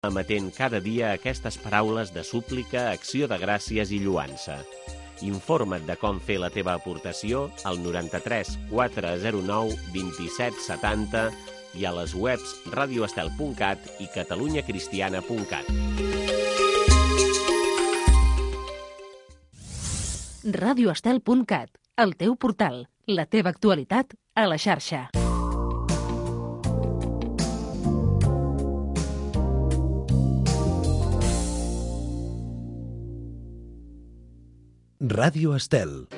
emetent cada dia aquestes paraules de súplica, acció de gràcies i lluança. Informa't de com fer la teva aportació al 93 409 27 70 i a les webs radioestel.cat i catalunyacristiana.cat. radioestel.cat, el teu portal, la teva actualitat a la xarxa. Ràdio Estel.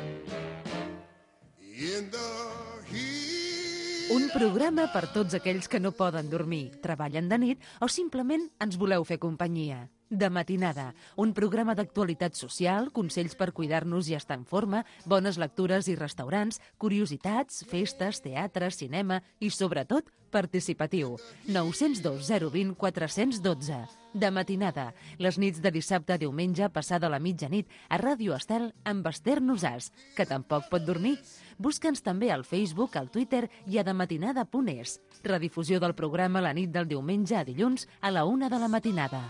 Un programa per tots aquells que no poden dormir, treballen de nit o simplement ens voleu fer companyia. De matinada, un programa d'actualitat social, consells per cuidar-nos i estar en forma, bones lectures i restaurants, curiositats, festes, teatre, cinema i, sobretot, participatiu. 902 020 412. De matinada, les nits de dissabte a diumenge passada la mitjanit a Ràdio Estel amb Esther Nosàs, que tampoc pot dormir. Busca'ns també al Facebook, al Twitter i a dematinada.es. Redifusió del programa la nit del diumenge a dilluns a la 1 de la matinada.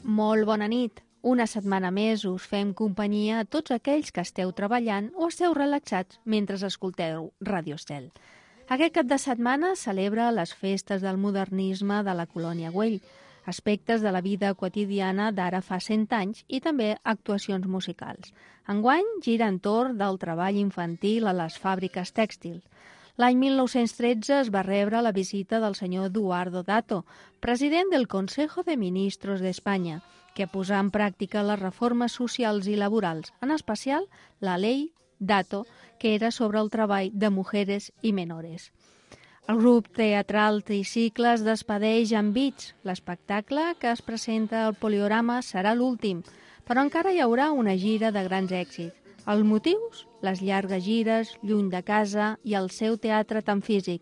Molt bona nit. Una setmana més us fem companyia a tots aquells que esteu treballant o esteu relaxats mentre escolteu Ràdio Estel. Aquest cap de setmana celebra les festes del modernisme de la colònia Güell, aspectes de la vida quotidiana d'ara fa 100 anys i també actuacions musicals. Enguany gira entorn del treball infantil a les fàbriques tèxtils. L'any 1913 es va rebre la visita del senyor Eduardo Dato, president del Consejo de Ministros d'Espanya, que posà en pràctica les reformes socials i laborals, en especial la Ley Dato, que era sobre el treball de mujeres i menores. El grup teatral Tricicles despedeix amb Beats. L'espectacle que es presenta al Poliorama serà l'últim, però encara hi haurà una gira de grans èxits. Els motius? Les llargues gires, lluny de casa i el seu teatre tan físic.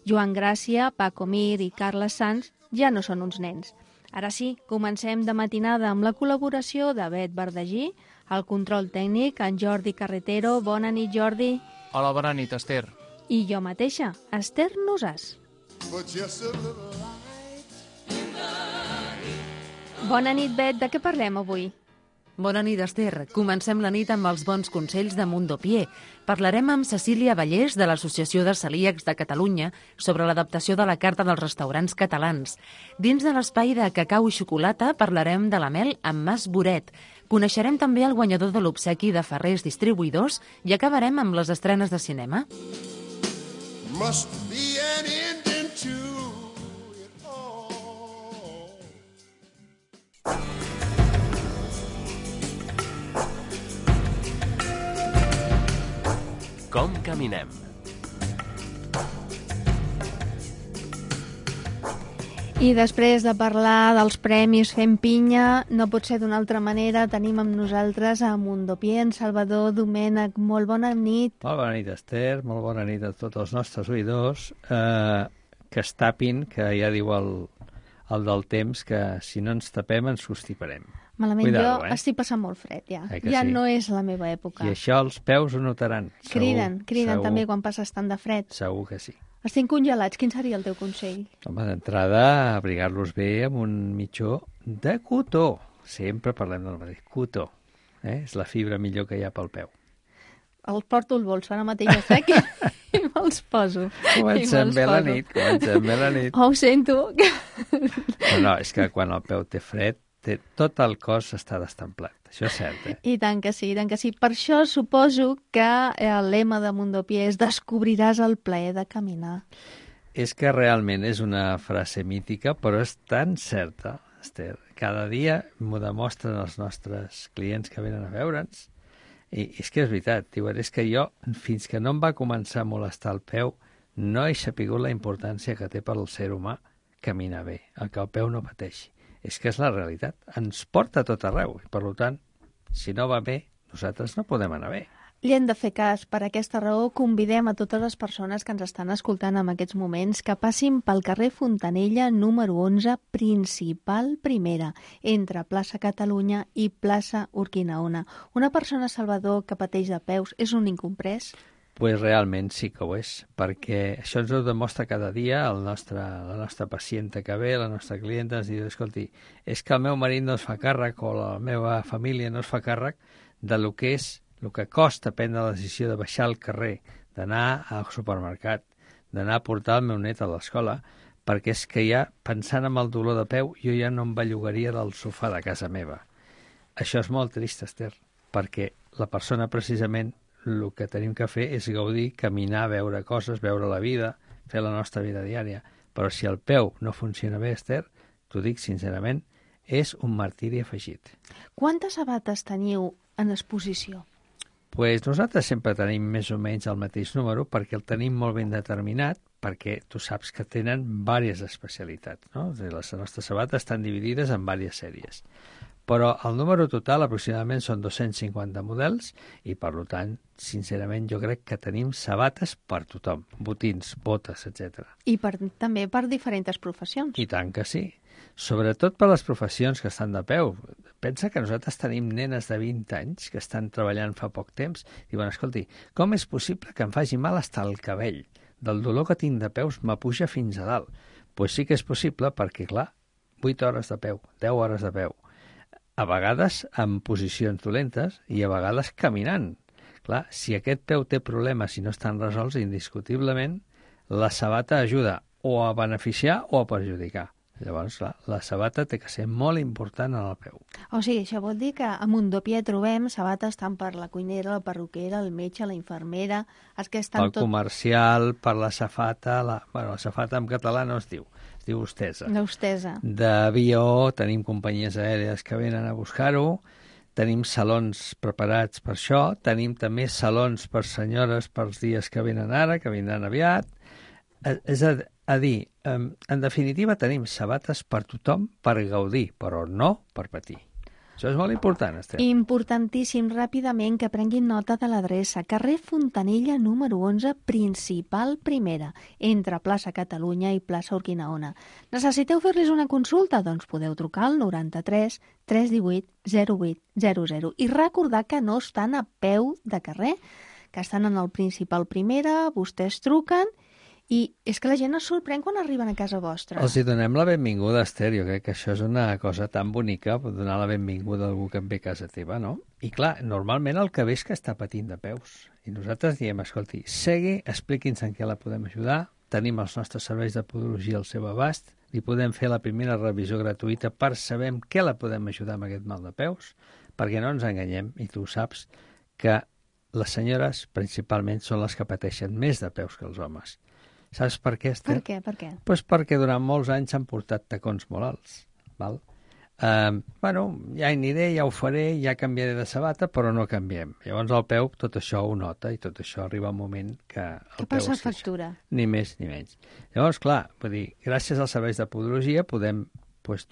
Joan Gràcia, Paco Mir i Carles Sans ja no són uns nens. Ara sí, comencem de matinada amb la col·laboració de Bet Verdagí, el control tècnic, en Jordi Carretero. Bona nit, Jordi. Hola, bona nit, Esther. I jo mateixa, Esther Nosàs. Bona nit, Bet. De què parlem avui? Bona nit, Esther. Comencem la nit amb els bons consells de Mundopié. Parlarem amb Cecília Vallès, de l'Associació de Celíacs de Catalunya, sobre l'adaptació de la carta dels restaurants catalans. Dins de l'espai de cacau i xocolata parlarem de la mel amb Mas Boret. Coneixerem també el guanyador de l'obsequi de Ferrers Distribuïdors i acabarem amb les estrenes de cinema. Must be an ending to it all. Com caminem? I després de parlar dels premis Fem Pinya, no pot ser d'una altra manera, tenim amb nosaltres a Mundopié, en Salvador Domènech. Molt bona nit. Molt bona nit, Esther, molt bona nit a tots els nostres oïdors, que es tapin, que ja diu el del temps, que si no ens tapem ens constiparem. Malament, Cuidado, jo estic passant molt fred, ja. Ja sí? no és la meva època. I això els peus ho notaran. Criden segur, també quan passes tant de fred. Segur que sí. Estic congelats, quin seria el teu consell? Home, d'entrada, abrigar-los bé amb un mitjó de cotó. Sempre parlem del mateix, cotó. És la fibra millor que hi ha pel peu. Els porto al bols, ara mateix ja sec i me'ls poso. Comencem bé la nit. Oh, ho sento. No, és que quan el peu té fred, tot el cos està destemplat. Això és cert, I tant que sí, i tant que sí. Per això suposo que el lema de Mundopié és descobriràs el plaer de caminar. És que realment és una frase mítica, però és tan certa, Esther. Cada dia m'ho demostren els nostres clients que venen a veure'ns. I és que és veritat, diuen, és que jo, fins que no em va començar a molestar el peu, no he sapigut la importància que té per al ser humà caminar bé, el que el peu no pateixi. És que és la realitat. Ens porta a tot arreu. I, per tant, si no va bé, nosaltres no podem anar bé. Li hem de fer cas. Per aquesta raó convidem a totes les persones que ens estan escoltant en aquests moments que passin pel carrer Fontanella número 11, principal primera, entre plaça Catalunya i plaça Urquinaona. Una persona, Salvador, que pateix de peus és un incomprès? Pues realment sí que ho és, perquè això ens ho demostra cada dia la nostra pacienta que ve, la nostra clienta, ens diu, escolti, és que el meu marit no es fa càrrec o la meva família no es fa càrrec de lo que és, el que costa prendre la decisió de baixar al carrer, d'anar al supermercat, d'anar a portar el meu net a l'escola, perquè és que ja, pensant en el dolor de peu, jo ja no em bellugaria del sofà de casa meva. Això és molt trist, Esther, perquè la persona precisament el que tenim que fer és gaudir, caminar, veure coses, veure la vida, fer la nostra vida diària. Però si el peu no funciona bé, Esther, t'ho dic sincerament, és un martiri afegit. Quantes sabates teniu en exposició? Pues nosaltres sempre tenim més o menys el mateix número perquè el tenim molt ben determinat, perquè tu saps que tenen diverses especialitats, no? Les nostres sabates estan dividides en diverses sèries. Però el número total aproximadament són 250 models i, per tant, sincerament, jo crec que tenim sabates per tothom, botins, botes, etc. I també per diferents professions. I tant que sí. Sobretot per les professions que estan de peu. Pensa que nosaltres tenim nenes de 20 anys que estan treballant fa poc temps. Diuen, escolti, com és possible que em faci mal estar el cabell? Del dolor que tinc de peus m'apuja fins a dalt. Pues sí que és possible perquè, clar, 8 hores de peu, 10 hores de peu, a vegades en posicions dolentes i a vegades caminant. Clar, si aquest peu té problemes i no estan resolts, indiscutiblement, la sabata ajuda o a beneficiar o a perjudicar. Llavors, clar, la sabata té que ser molt important en el peu. O sigui, això vol dir que a Mundopié trobem sabates tant per la cuinera, la perruquera, el metge, la infermera, els que estan pel comercial, per la safata, la safata en català no es diu hostessa. L'hostessa. D'avió, tenim companyies aèries que venen a buscar-ho, tenim salons preparats per això, tenim també salons per senyores pels dies que venen ara, que vindran aviat. És a dir, en definitiva tenim sabates per tothom per gaudir, però no per patir. Això és molt important, Esther. Importantíssim, ràpidament, que prenguin nota de l'adreça. Carrer Fontanella número 11, principal primera, entre plaça Catalunya i plaça Urquinaona. Necessiteu fer-los una consulta? Doncs podeu trucar al 93 318 0800 i recordar que no estan a peu de carrer, que estan en el principal primera, vostès truquen. I és que la gent es sorprèn quan arriben a casa vostra. Els hi donem la benvinguda, Esther. Jo crec que això és una cosa tan bonica, donar la benvinguda a algú que ve a casa teva, no? I clar, normalment el que ve és que està patint de peus. I nosaltres diem, escolti, segui, expliqui'ns en què la podem ajudar, tenim els nostres serveis de podologia al seu abast, li podem fer la primera revisió gratuïta per saber en què la podem ajudar amb aquest mal de peus, perquè no ens enganyem, i tu saps que les senyores principalment són les que pateixen més de peus que els homes. Saps per què, Esther? Per què? Pues perquè durant molts anys s'han portat tacons molt alts. Val? Ja aniré, ja ho faré, ja canviaré de sabata, però no canviem. Llavors el peu tot això ho nota i tot això arriba un moment que el peu passa es factura. Ni més ni menys. Llavors, clar, vull dir, gràcies als serveis de podologia podem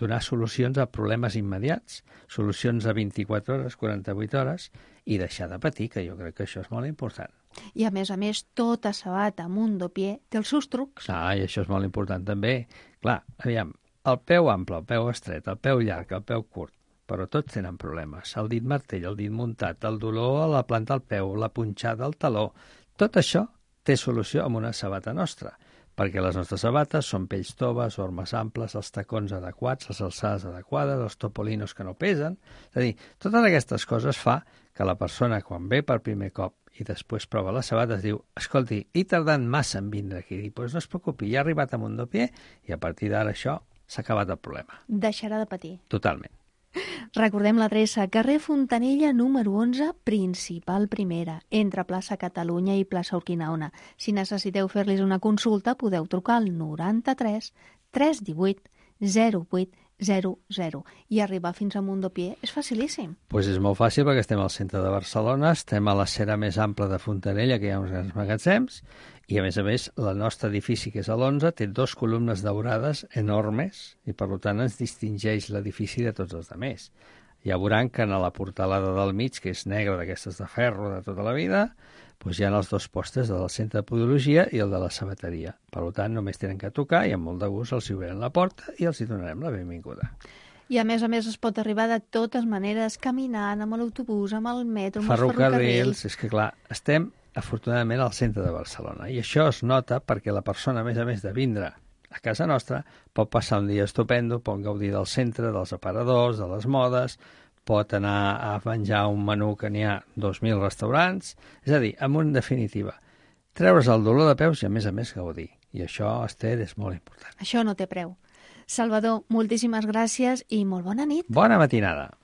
donar solucions a problemes immediats, solucions a 24 hores, 48 hores, i deixar de patir, que jo crec que això és molt important. I a més, tota sabata Mundopié té els seus trucs. I això és molt important també. Clar, aviam, el peu ample, el peu estret, el peu llarg, el peu curt, però tots tenen problemes. El dit martell, el dit muntat, el dolor a la planta del peu, la punxada al taló, tot això té solució amb una sabata nostra, perquè les nostres sabates són pells toves, ormes amples, els tacons adequats, les alçades adequades, els topolinos que no pesen. És a dir, totes aquestes coses fa que la persona, quan ve per primer cop i després prova les sabates, diu, escolti, he tardat massa en vindre aquí. I doncs no es preocupi, ja ha arribat a Mundopié i a partir d'ara això s'ha acabat el problema. Deixarà de patir. Totalment. Recordem l'adreça, carrer Fontanella número 11, principal primera, entre plaça Catalunya i plaça Urquinaona. Si necessiteu fer-los una consulta, podeu trucar al 93 318 08 00. I arribar fins a Mundopié és facilíssim. Doncs és molt fàcil perquè estem al centre de Barcelona, estem a la cera més ampla de Fontanella, que hi ha uns grans magatzems, i a més, el nostre edifici, que és a l'11, té 2 columnes daurades enormes i per tant ens distingeix l'edifici de tots els altres. Ja veuran que en la portalada del mig, que és negra d'aquestes de ferro de tota la vida, doncs hi ha els 2 postes del centre de podologia i el de la sabateria. Per tant, només tenen que tocar i amb molt de gust els hi obrirem la porta i els hi donarem la benvinguda. I a més es pot arribar de totes maneres, caminant, amb l'autobús, amb el metro, amb ferrocarrils. És que, clar, estem afortunadament al centre de Barcelona i això es nota perquè la persona, a més de vindre a casa nostra, pot passar un dia estupendo, pot gaudir del centre, dels aparadors, de les modes, pot anar a menjar un menú que n'hi ha 2.000 restaurants, és a dir, en definitiva, treure's el dolor de peus i a més gaudir. I això, Esther, és molt important. Això no té preu. Salvador, moltíssimes gràcies i molt bona nit. Bona matinada.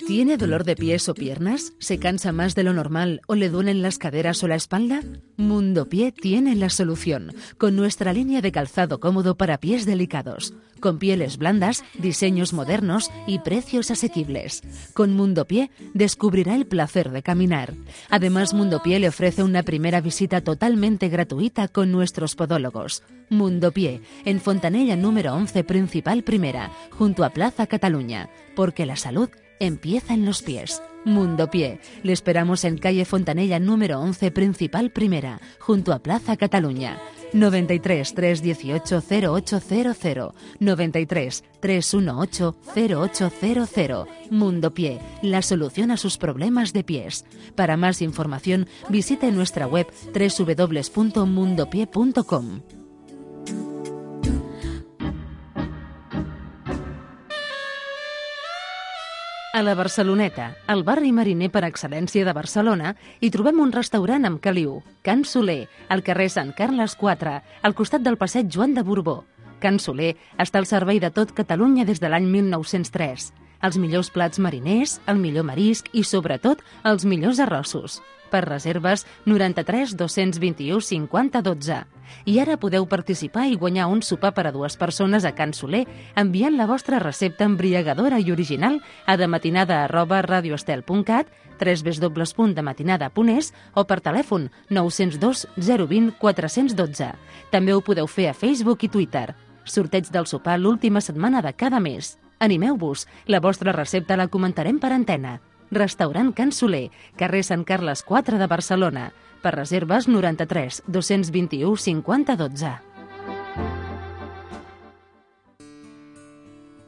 ¿Tiene dolor de pies o piernas? ¿Se cansa más de lo normal o le duelen las caderas o la espalda? Mundopié tiene la solución, con nuestra línea de calzado cómodo para pies delicados, con pieles blandas, diseños modernos y precios asequibles. Con Mundopié descubrirá el placer de caminar. Además, Mundopié le ofrece una primera visita totalmente gratuita con nuestros podólogos. Mundopié, en Fontanella número 11, Principal Primera, junto a Plaza Cataluña, porque la salud empieza en los pies. Mundopié. Le esperamos en calle Fontanella número 11, Principal Primera, junto a Plaza Cataluña. 93 318 0800 93 318 0800. Mundopié, la solución a sus problemas de pies. Para más información, visite nuestra web www.mundopié.com. A la Barceloneta, el barri mariner per excel·lència de Barcelona, hi trobem un restaurant amb caliu, Can Soler, al carrer Sant Carles 4, al costat del passeig Joan de Borbó. Can Soler està al servei de tot Catalunya des de l'any 1903. Els millors plats mariners, el millor marisc i, sobretot, els millors arrossos. Per reserves, 93 221 50 12. I ara podeu participar i guanyar un sopar per a 2 persones a Can Soler enviant la vostra recepta embriagadora i original a dematinada@radioestel.cat, www.dematinada.es o per telèfon 902 020 412. També ho podeu fer a Facebook i Twitter. Sorteig del sopar l'última setmana de cada mes. Animeu-vos, la vostra recepta la comentarem per antena. Restaurant Can Soler, carrer Sant Carles 4 de Barcelona. Per reserves 93 221 50 12.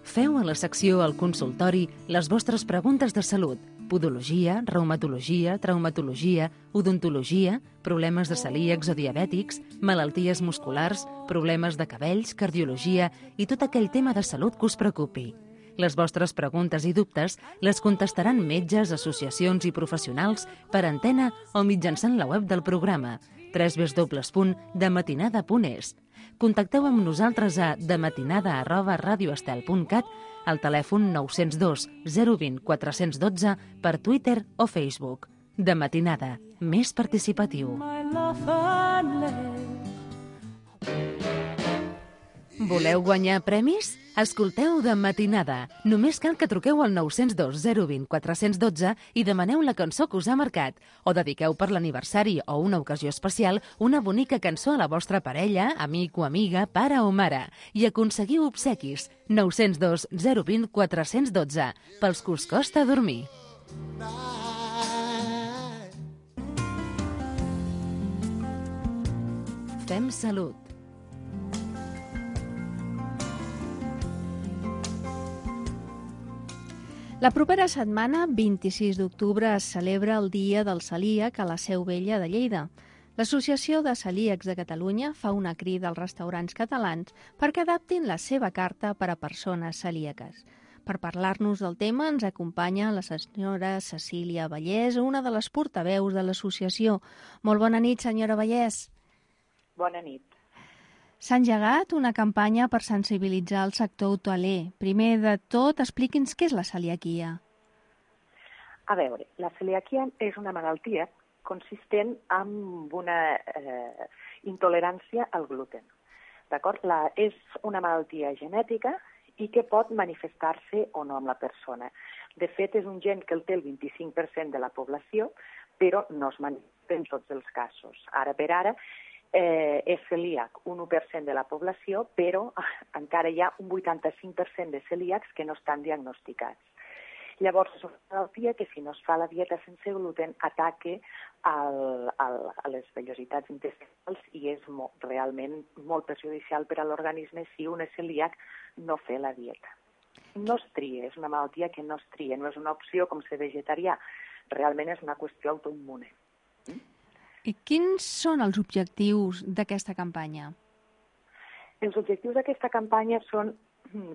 Feu a la secció al consultori les vostres preguntes de salut. Podologia, reumatologia, traumatologia, odontologia, problemes de celíacs o diabètics, malalties musculars, problemes de cabells, cardiologia i tot aquell tema de salut que us preocupi. Les vostres preguntes i dubtes les contestaran metges, associacions i professionals per antena o mitjançant la web del programa www.dematinada.es. Contacteu amb nosaltres a dematinada@radioestel.cat, al telèfon 902 020 412, per Twitter o Facebook. De Matinada, més participatiu. Voleu guanyar premis? Escolteu De Matinada. Només cal que truqueu al 902 020 412 i demaneu la cançó que us ha marcat. O dediqueu per l'aniversari o una ocasió especial una bonica cançó a la vostra parella, amic o amiga, pare o mare. I aconseguiu obsequis. 902 020 412. Pels que us costa dormir. Fem salut. La propera setmana, 26 d'octubre, es celebra el Dia del Celíac a la Seu Vella de Lleida. L'Associació de Celíacs de Catalunya fa una crida als restaurants catalans perquè adaptin la seva carta per a persones celíaques. Per parlar-nos del tema ens acompanya la senyora Cecília Vallès, una de les portaveus de l'associació. Molt bona nit, senyora Vallès. Bona nit. S'ha engegat una campanya per sensibilitzar el sector hoteler. Primer de tot, expliqui'ns què és la celiaquia. A veure, la celiaquia és una malaltia consistent en una intolerància al gluten. D'acord? És una malaltia genètica i que pot manifestar-se o no amb la persona. De fet, és un gen que el té el 25% de la població, però no es manifesta en tots els casos. Ara per ara, és celíac un 1% de la població, però encara hi ha un 85% de celíacs que no estan diagnosticats. Llavors, és una malaltia que si no es fa la dieta sense gluten ataca a les vellositats intestinals i és realment molt perjudicial per a l'organisme si un és celíac no fer la dieta. No es tria, és una malaltia que no es tria, no és una opció com ser vegetarià, realment és una qüestió autoimmune. I quins són els objectius d'aquesta campanya? Els objectius d'aquesta campanya són,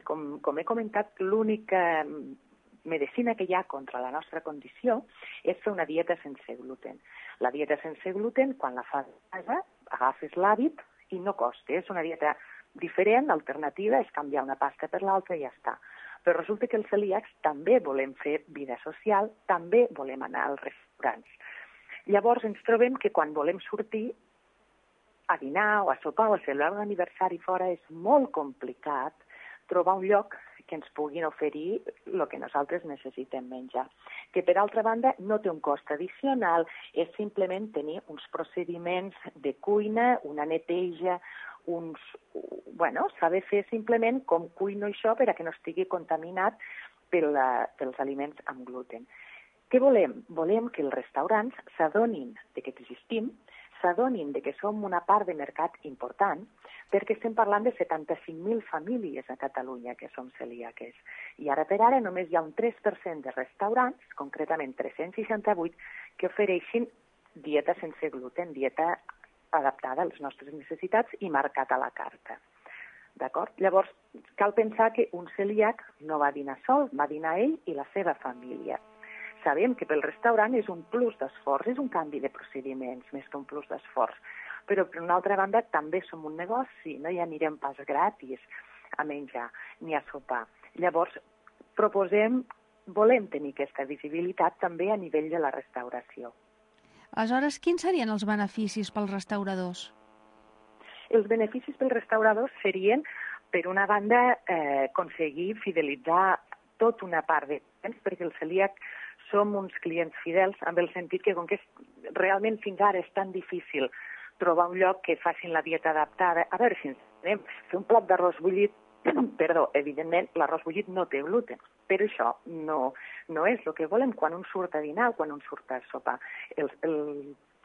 com he comentat, l'única medicina que hi ha contra la nostra condició és fer una dieta sense gluten. La dieta sense gluten, quan la fas a casa, agafes l'hàbit i no costa. És una dieta diferent, alternativa, és canviar una pasta per l'altra i ja està. Però resulta que els celíacs també volem fer vida social, també volem anar als restaurants. Llavors ens trobem que quan volem sortir a dinar o a sopar o a celebrar un aniversari fora és molt complicat trobar un lloc que ens puguin oferir el que nosaltres necessitem menjar. Que, per altra banda, no té un cost addicional, és simplement tenir uns procediments de cuina, una neteja, saber fer simplement com cuino això per a que no estigui contaminat pels aliments amb gluten. Què volem? Volem que els restaurants s'adonin que existim, s'adonin que som una part de mercat important, perquè estem parlant de 75.000 famílies a Catalunya que som celíaques. I ara per ara només hi ha un 3% de restaurants, concretament 368, que ofereixin dieta sense gluten, dieta adaptada a les nostres necessitats i marcat a la carta. D'acord? Llavors, cal pensar que un celíac no va dinar sol, va dinar ell i la seva família. Sabem que pel restaurant és un plus d'esforç, és un canvi de procediments més que un plus d'esforç. Però, per una altra banda, també som un negoci, no hi anirem pas gratis a menjar ni a sopar. Llavors, volem tenir aquesta visibilitat també a nivell de la restauració. Aleshores, quins serien els beneficis pels restauradors? Els beneficis pels restauradors serien, per una banda, aconseguir fidelitzar tota una part de clients, perquè el celíac som uns clients fidels, amb el sentit que, com que realment fins ara és tan difícil trobar un lloc que facin la dieta adaptada. A veure si ens anem, fer un plat d'arròs bullit, evidentment l'arròs bullit no té gluten, però això no és el que volem quan un surt a dinar o quan un surt a sopar.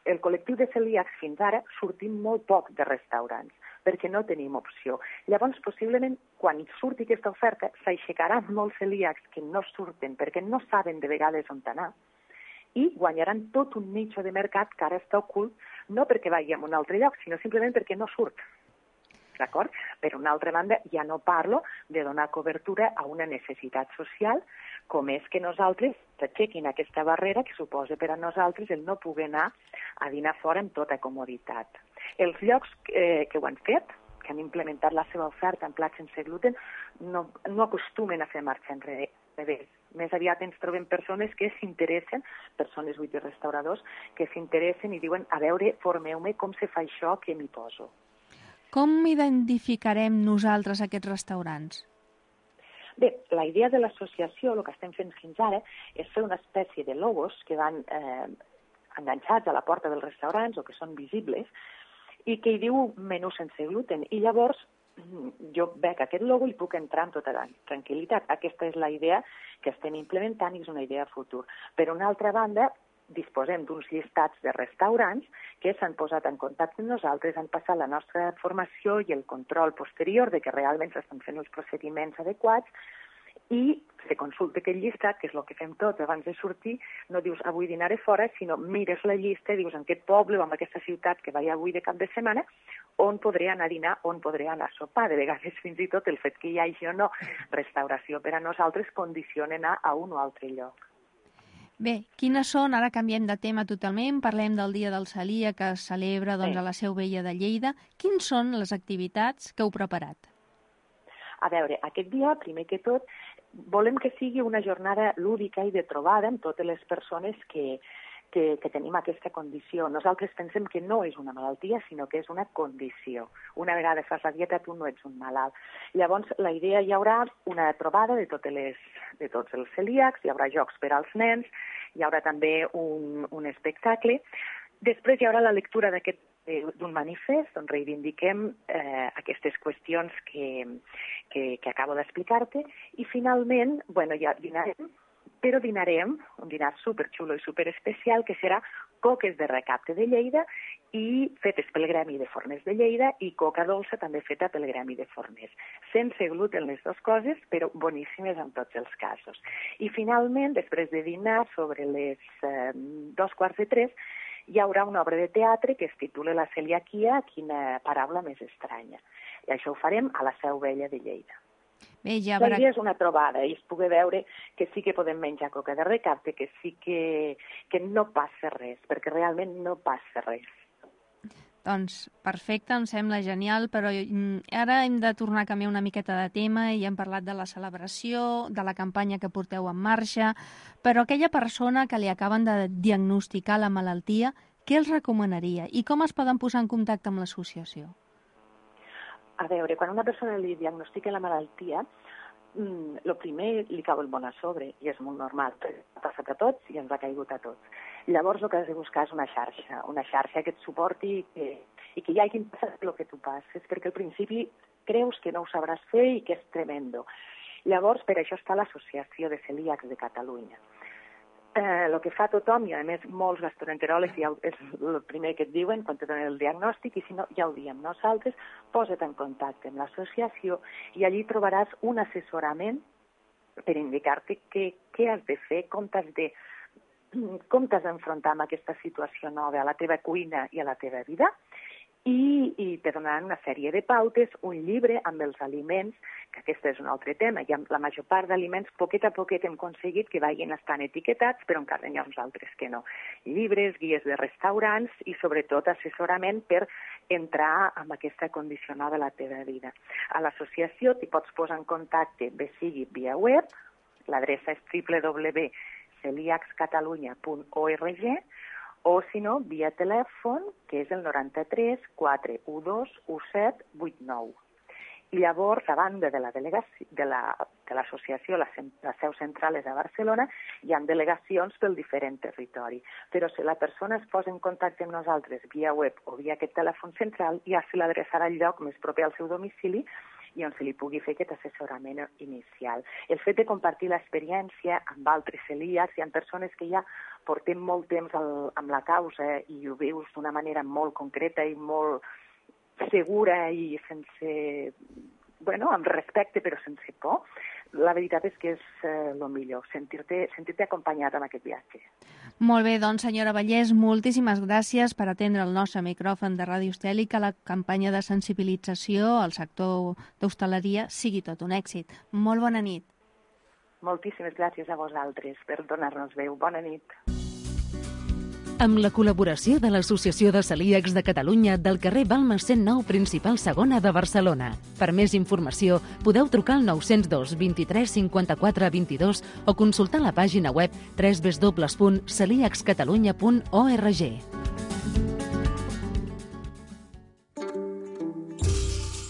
El col·lectiu de celíacs fins ara sortim molt poc de restaurants, perquè no tenim opció. Llavors, possiblement, quan surti aquesta oferta, s'aixecaran molts celíacs que no surten perquè no saben de vegades on anar i guanyaran tot un nicho de mercat que ara està ocult, no perquè vagi a un altre lloc, sinó simplement perquè no surt. D'acord? Per una altra banda, ja no parlo de donar cobertura a una necessitat social, com és que nosaltres aixequin aquesta barrera que suposa per a nosaltres el no poder anar a dinar fora amb tota comoditat. Els llocs que ho han fet, que han implementat la seva oferta en plats sense gluten, no acostumen a fer marxa enrere. Més aviat ens trobem persones que s'interessen, persones i restauradors, que s'interessen i diuen, a veure, formeu-me com se fa això que m'hi poso. Com identificarem nosaltres aquests restaurants? Bé, la idea de l'associació, el que estem fent fins ara, és fer una espècie de logos que van enganxats a la porta dels restaurants o que són visibles i que hi diu menú sense gluten. I llavors jo veig aquest logo i puc entrar amb tota tranquil·litat. Aquesta és la idea que estem implementant i és una idea a futur. Per una altra banda, disposem d'uns llistats de restaurants que s'han posat en contacte amb nosaltres, han passat la nostra formació i el control posterior de que realment s'estan fent els procediments adequats i se consulta aquest llistat, que és el que fem tots abans de sortir, no dius avui dinaré fora, sinó mires la llista i dius en aquest poble o en aquesta ciutat que vaig avui de cap de setmana, on podré anar a dinar, on podré anar a sopar. De vegades fins i tot el fet que hi hagi o no restauració per a nosaltres condiciona anar a un o altre lloc. Bé, quines són, ara canviem de tema totalment, parlem del Dia del Celíac que es celebra a la Seu Vella de Lleida. Quines són les activitats que heu preparat? A veure, aquest dia, primer que tot, volem que sigui una jornada lúdica i de trobada amb totes les persones que que tenim aquesta condició. Nosaltres pensem que no és una malaltia, sinó que és una condició. Una vegada fas la dieta, tu no ets un malalt. Llavors, la idea hi haurà una trobada de tots els celíacs, hi haurà jocs per als nens, hi haurà també un espectacle. Després hi haurà la lectura d'un manifest on reivindiquem aquestes qüestions que acabo d'explicar-te i finalment, ja dinarem, però dinarem un dinar superxulo i superespecial que serà coques de recapte de Lleida i fetes pel Gremi de Forners de Lleida i coca dolça també feta pel Gremi de Forners. Sense gluten les dues coses, però boníssimes en tots els casos. I finalment, després de dinar, sobre les 2:45, hi haurà una obra de teatre que es titula La celiaquia, quina paraula més estranya. I això ho farem a la Seu Vella de Lleida. Bé, ja La idea és una trobada i es pugui veure que sí que podem menjar coca de recapte, que sí que no passa res, perquè realment no passa res. Doncs perfecte, em sembla genial, però ara hem de tornar a canviar una miqueta de tema i hem parlat de la celebració, de la campanya que porteu en marxa, però aquella persona que li acaben de diagnosticar la malaltia, què els recomanaria i com es poden posar en contacte amb l'associació? A veure, quan una persona li diagnostica la malaltia, el primer li cau el món a sobre, i és molt normal, ha passat a tots i ens ha caigut a tots. Llavors el que has de buscar és una xarxa que et suporti i que hi hagi passat el que tu passes, perquè al principi creus que no ho sabràs fer i que és tremendo. Llavors, per això està l'Associació de Celíacs de Catalunya. El que fa tothom, i a més molts gastroenteròlegs ja és el primer que et diuen quan te donen el diagnòstic, i si no, ja ho diem nosaltres, posa't en contacte amb l'associació i allí trobaràs un assessorament per indicar-te què has de fer, com t'has d'enfrontar amb aquesta situació nova a la teva cuina i a la teva vida, i te donaran una sèrie de pautes, un llibre amb els aliments, que aquest és un altre tema. I amb la major part d'aliments, poquet a poquet hem aconseguit que vagin estant etiquetats, però encara hi ha uns altres que no. Llibres, guies de restaurants i sobretot assessorament per entrar en aquesta condició nova de la teva vida. A l'associació t'hi pots posar en contacte, bé sigui via web, l'adreça és www.celiacscatalunya.org, o, si no, via telèfon, que és el 93 412 1789. I llavors, a banda de l'associació, la seu central és a Barcelona, hi ha delegacions pel diferent territori. Però si la persona es posa en contacte amb nosaltres via web o via aquest telèfon central, ja se l'adreçarà al lloc més proper al seu domicili i on se li pugui fer aquest assessorament inicial. El fet de compartir l'experiència amb altres celíacs, hi ha persones que ja portem molt temps amb la causa i ho veus d'una manera molt concreta i molt segura i sense, amb respecte però sense por. La veritat és que és el millor, sentir-te acompanyat en aquest viatge. Molt bé, doncs, senyora Vallès, moltíssimes gràcies per atendre el nostre micròfon de Ràdio Estel i que la campanya de sensibilització al sector d'hostaleria sigui tot un èxit. Molt bona nit. Moltíssimes gràcies a vosaltres per donar-nos veu. Bona nit. Amb la col·laboració de l'Associació de Celíacs de Catalunya del carrer Balmes 109 Principal Segona de Barcelona. Per més informació, podeu trucar al 902 23 54 22 o consultar la pàgina web www.celiacscatalunya.org.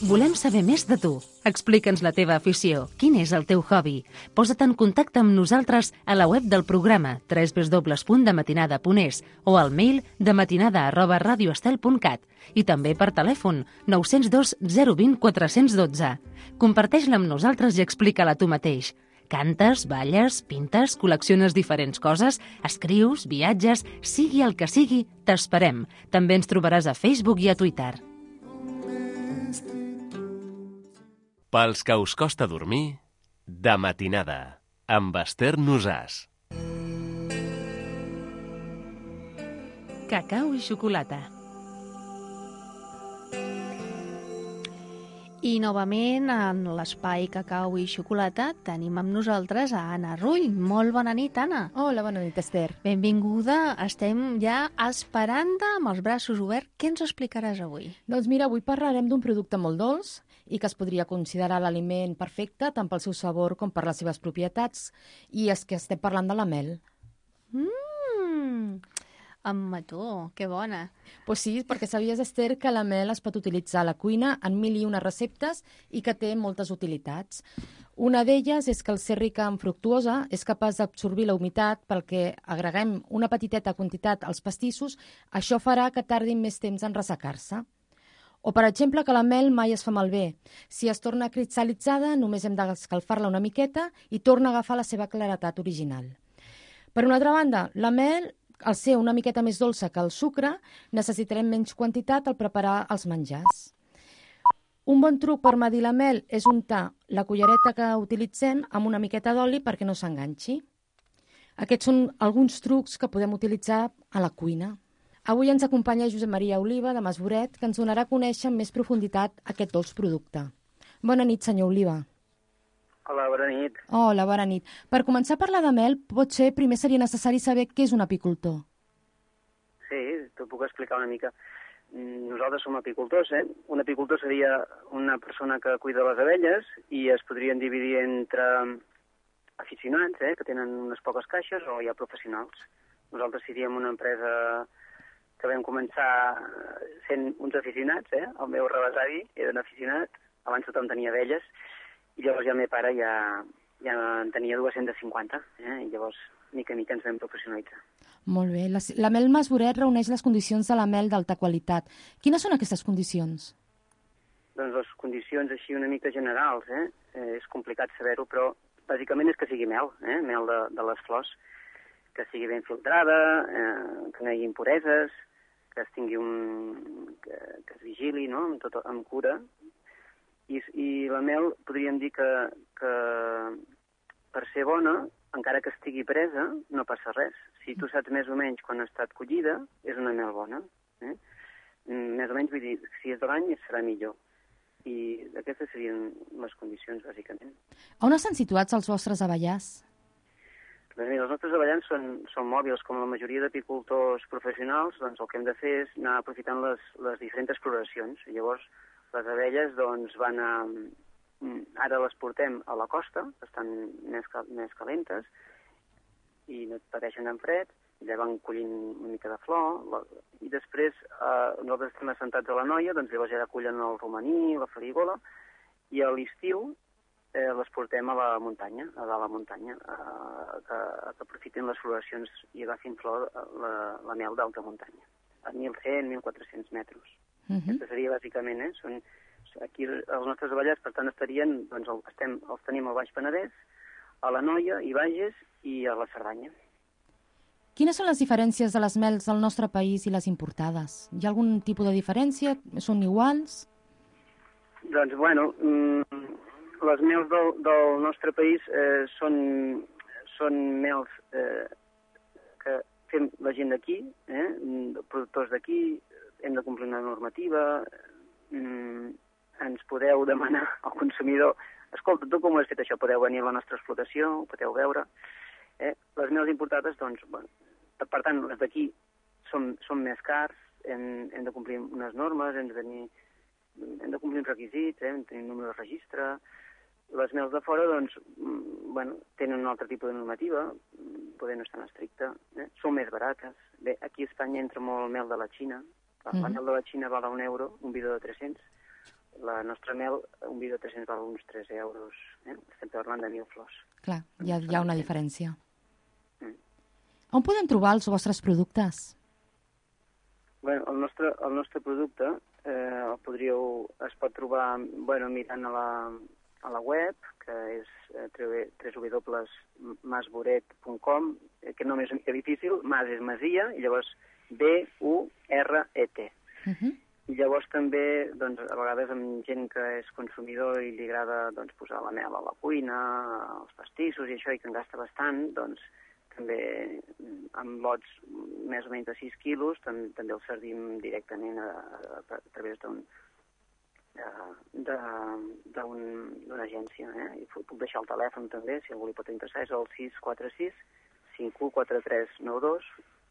Volem saber més de tu. Explica'ns la teva afició. Quin és el teu hobby? Posa't en contacte amb nosaltres a la web del programa www.dematinada.es o al mail dematinada@radioestel.cat i també per telèfon 902 020 412. Comparteix-la amb nosaltres i explica-la tu mateix. Cantes, balles, pintes, col·lecciones diferents coses, escrius, viatges, sigui el que sigui, t'esperem. També ens trobaràs a Facebook i a Twitter. Pels que us costa dormir, de matinada, amb Esther Nosàs. Cacau i xocolata. I novament, en l'espai Cacau i Xocolata, tenim amb nosaltres a Anna Rull. Molt bona nit, Anna. Hola, bona nit, Esther. Benvinguda. Estem ja esperant amb els braços oberts. Què ens explicaràs avui? Doncs mira, avui parlarem d'un producte molt dolç i que es podria considerar l'aliment perfecte tant pel seu sabor com per les seves propietats. I és que estem parlant de la mel. Amb mató, que bona. Pues sí, perquè sabies, Esther, que la mel es pot utilitzar a la cuina en 1001 receptes i que té moltes utilitats. Una d'elles és que el ser rica en fructuosa és capaç d'absorbir la humitat pel que agreguem una petiteta quantitat als pastissos, això farà que tardin més temps en ressecar-se. O, per exemple, que la mel mai es fa malbé. Si es torna cristal·litzada, només hem d'escalfar-la una miqueta i torna a agafar la seva claretat original. Per una altra banda, la mel, al ser una miqueta més dolça que el sucre, necessitarem menys quantitat al preparar els menjars. Un bon truc per medir la mel és untar la cullereta que utilitzem amb una miqueta d'oli perquè no s'enganxi. Aquests són alguns trucs que podem utilitzar a la cuina. Avui ens acompanya Josep Maria Oliva, de Masboret, que ens donarà a conèixer amb més profunditat aquest dolç producte. Bona nit, senyor Oliva. Hola, bona nit. Hola, bona nit. Per començar a parlar de mel, potser primer seria necessari saber què és un apicultor. Sí, t'ho puc explicar una mica. Nosaltres som apicultors, eh? Un apicultor seria una persona que cuida les abelles i es podrien dividir entre aficionats, que tenen unes poques caixes, o hi ha professionals. Nosaltres seríem una empresa que vam començar sent uns aficionats, El meu rebesavi era un aficionat, abans tothom tenia abelles, i llavors ja el meu pare ja en tenia 250, i llavors mica en mica ens vam professionalitzar. Molt bé. La mel Masboret reuneix les condicions de la mel d'alta qualitat. Quines són aquestes condicions? Doncs les condicions així una mica generals, és complicat saber-ho, però bàsicament és que sigui mel, mel de les flors, que sigui ben filtrada, que no hi hagi impureses, que es tingui que es vigili, no?, amb cura. I la mel podríem dir que per ser bona, encara que estigui presa, no passa res. Si tu saps més o menys quan ha estat collida, és una mel bona. Més o menys, vull dir, si és de l'any serà millor. I aquestes serien les condicions, bàsicament. On estan situats els vostres avellars? Doncs mira, els nostres avellans són mòbils, com la majoria d'apicultors professionals, doncs el que hem de fer és anar aprofitant les diferents floracions. Llavors, les abelles doncs, ara les portem a la costa, estan més calentes, i no pateixen en fred, ja van collint una mica de flor, i després nosaltres estem assentats a la Noia, doncs llavors ja cullen el romaní, la farigola, i a l'estiu les portem a la muntanya, a dalt la muntanya, que aprofitin les floracions i agafin flor la mel d'alta muntanya, a 1.100, 1.400 metres. Aquesta seria bàsicament, aquí els nostres avellars, per tant, estarien, doncs els tenim al Baix Penedès, a la Noia, i Bages i a la Cerdanya. Quines són les diferències de les mels del nostre país i les importades? Hi ha algun tipus de diferència? Són iguals? Doncs, bueno, les mels del nostre país són mels que fem la gent d'aquí, productors d'aquí, hem de complir una normativa, ens podeu demanar al consumidor, escolta, tu com ho has fet això? Podeu venir a la nostra explotació, ho podeu veure. Les mels importades, doncs, per tant, les d'aquí són més cars, hem de complir unes normes, hem de complir uns requisits, hem de tenir un número de registre. Les mels de fora, doncs, tenen un altre tipus de normativa, poder no és tan estricta, són més barates. Bé, aquí a Espanya entra molt mel de la Xina. La mel de la Xina val a €1, un bidó de 300. La nostra mel, un bidó de 300 val uns 3 euros. Estem parlant de 1.000 flors. Clar, hi ha una diferència. On podem trobar els vostres productes? Bé, el nostre producte es pot trobar mirant a la web, que és www.masboret.com, que no és una mica difícil, mas és masia, i llavors B-U-R-E-T. I llavors també, doncs, a vegades amb gent que és consumidor i li agrada posar la mel a la cuina, als pastissos i això, i que en gasta bastant, doncs també amb lots més o menys de 6 quilos també els servim directament a través d'una agència. I puc deixar el telèfon també, si algú li pot interessar, és el 646 514392.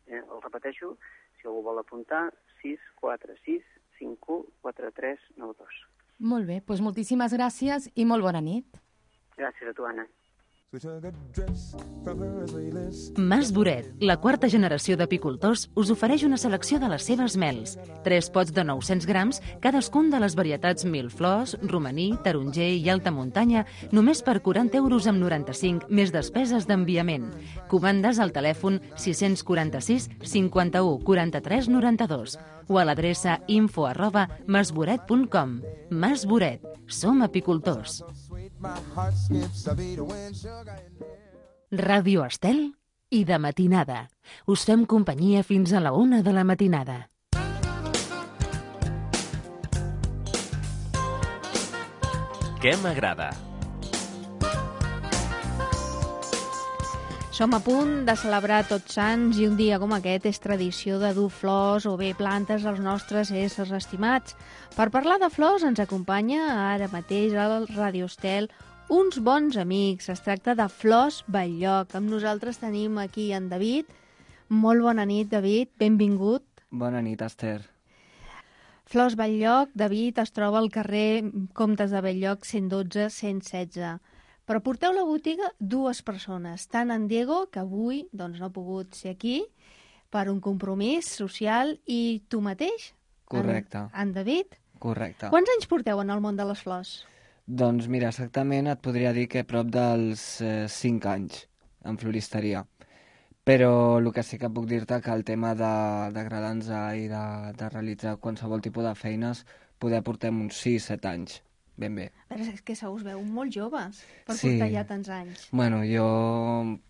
El repeteixo, si algú vol apuntar, 646 514392. Molt bé, doncs moltíssimes gràcies i molt bona nit. Gràcies a tu, Anna. Mas Boret, la quarta generació d'apicultors, us ofereix una selecció de les seves mels. 3 pots de 900 grams, cadascun de les varietats mil flors, romaní, taronger i alta muntanya, només per 40 euros amb 95, més despeses d'enviament. Comandes al telèfon 646 51 43 92 o a l'adreça info@masboret.com. Mas Boret. Som apicultors. Ràdio Estel i de matinada. Us fem companyia fins a la 1 de la matinada. Què m'agrada? Som a punt de celebrar Tots Sants i un dia com aquest és tradició de dur flors o bé plantes als nostres éssers estimats. Per parlar de flors ens acompanya ara mateix al Ràdio Estel uns bons amics. Es tracta de Flors Batllog. Amb nosaltres tenim aquí en David. Molt bona nit, David. Benvingut. Bona nit, Esther. Flors Batllog, David, es troba al carrer Comtes de Bell-lloc 112-116. Però porteu la botiga 2 persones, tant en Diego, que avui no ha pogut ser aquí, per un compromís social, i tu mateix? Correcte. En David? Correcte. Quants anys porteu en el món de les flors? Doncs mira, exactament et podria dir que prop dels 5 anys en floristeria. Però el que sí que puc dir-te que el tema d'agradar-nos i de realitzar qualsevol tipus de feines poder portem uns 6-7 anys. Ben bé. Però és que se us veu molt joves per Sí. portar ja tants anys. Bueno, jo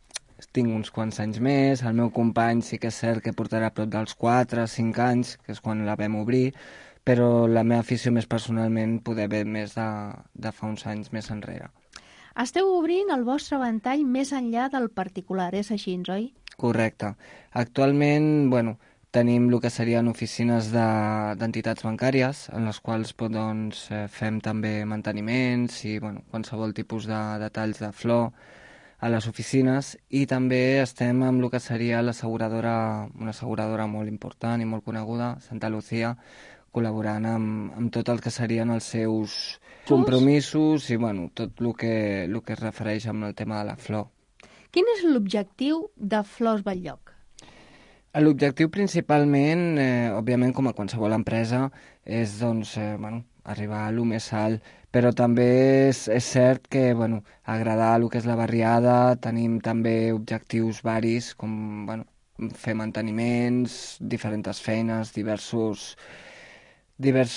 tinc uns quants anys més, el meu company sí que és cert que portarà prop dels 4-5 anys, que és quan la vam obrir, però la meva afició més personalment poder ve més de fa uns anys més enrere. Esteu obrint el vostre ventall més enllà del particular, és així, oi? Correcte. Actualment, bueno, tenim el que serien oficines d'entitats bancàries, en les quals doncs, fem també manteniments i bueno, qualsevol tipus de detalls de flor a les oficines, i també estem amb el que seria l'asseguradora, una asseguradora molt important i molt coneguda, Santa Lucía, col·laborant amb tot el que serien els seus compromisos i bueno, tot el que es refereix amb el tema de la flor. Quin és l'objectiu de Flors Batllog? L'objectiu principalment, òbviament com a qualsevol empresa, és doncs, arribar a lo més alt, però també és cert que agradar el que és la barriada, tenim també objectius varis, com fer manteniments, diferents feines, diversos...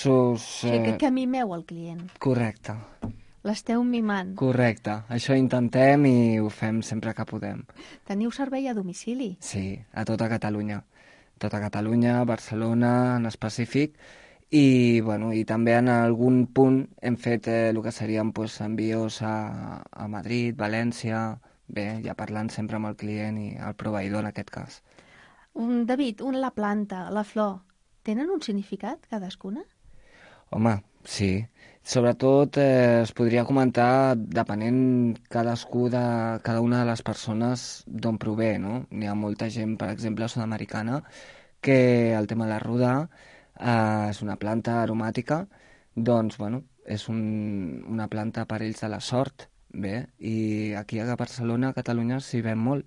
O sigui que mimeu el client. Correcte. L'esteu mimant. Correcte. Això intentem i ho fem sempre que podem. Teniu servei a domicili? Sí, a tota Catalunya. Tota Catalunya, Barcelona en específic, i també en algun punt hem fet el que serien envios a Madrid, València, bé, ja parlant sempre amb el client i el proveïdor en aquest cas. David, la planta, la flor, tenen un significat cadascuna? Home, sí. Sobretot es podria comentar depenent cada una de les persones d'on prové, no? N'hi ha molta gent, per exemple, sud-americana, que el tema de la ruda és una planta aromàtica, doncs, és una planta per ells de la sort, bé, i aquí a Barcelona, a Catalunya, s'hi ven molt.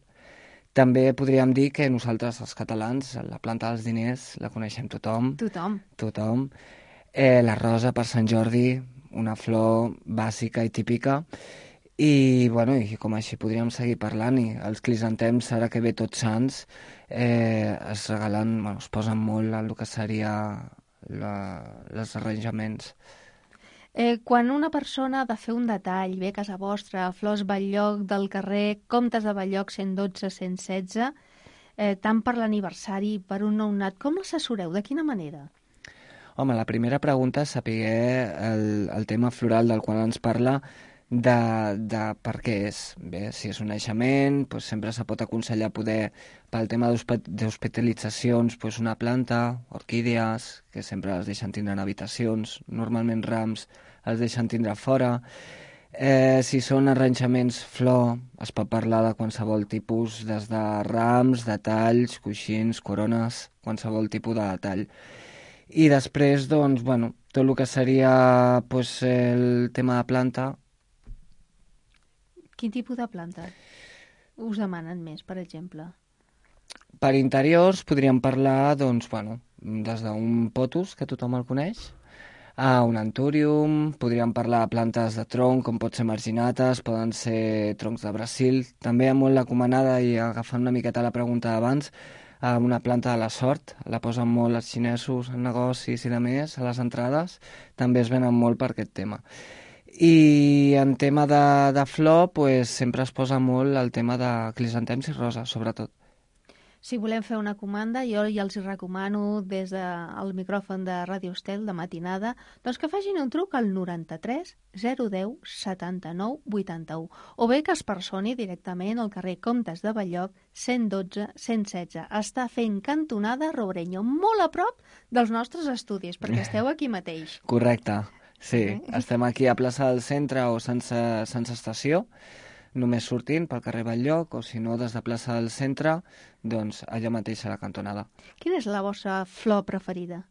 També podríem dir que nosaltres, els catalans, la planta dels diners la coneixem tothom. Tothom. La rosa per Sant Jordi, una flor bàsica i típica, i com així podríem seguir parlant, i els crisantems, ara que ve Tots Sants, es regalen, es posen molt en el que seria els arranjaments. Quan una persona ha de fer un detall, bé, a casa vostra, Flors Batllog del carrer Comtes de Bell-lloc 112-116, tant per l'aniversari, per un nounat, com l'assessoreu? De quina manera? Home, la primera pregunta és saber el tema floral del qual ens parla, de per què és. Bé, si és un naixement, doncs sempre se pot aconsellar poder, pel tema d'hospitalitzacions, doncs una planta, orquídees, que sempre les deixen tindre en habitacions, normalment rams els deixen tindre fora. Si són arranjaments flor, es pot parlar de qualsevol tipus, des de rams, detalls, coixins, corones, qualsevol tipus de detall. I després, doncs, tot el que seria el tema de planta, Quin tipus de planta us demanen més, per exemple? Per interiors podríem parlar, doncs, bueno, des d'un potus, que tothom el coneix, a un antúrium, podríem parlar de plantes de tronc, com pot ser marginates, poden ser troncs de Brasil. També molt l'acomanada, i agafant una miqueta la pregunta d'abans, una planta de la sort, la posen molt els xinesos en negocis i de més, a les entrades, també es venen molt per aquest tema. I en tema de flor, pues, sempre es posa molt el tema de crisantems i roses, sobretot. Si volem fer una comanda, jo ja els recomano des del micròfon de Ràdio Estel de matinada, doncs que facin un truc al 93 010 79 81, o bé que es personi directament al carrer Comtes de Belloc 112 116. Està fent cantonada Robrenyo, molt a prop dels nostres estudis, perquè esteu aquí mateix. Correcte, sí. Estem aquí a plaça del Centre o sense estació, només sortint pel carrer Belloc, o si no, des de plaça del Centre, doncs allà mateix a la cantonada. Quina és la vostra flor preferida?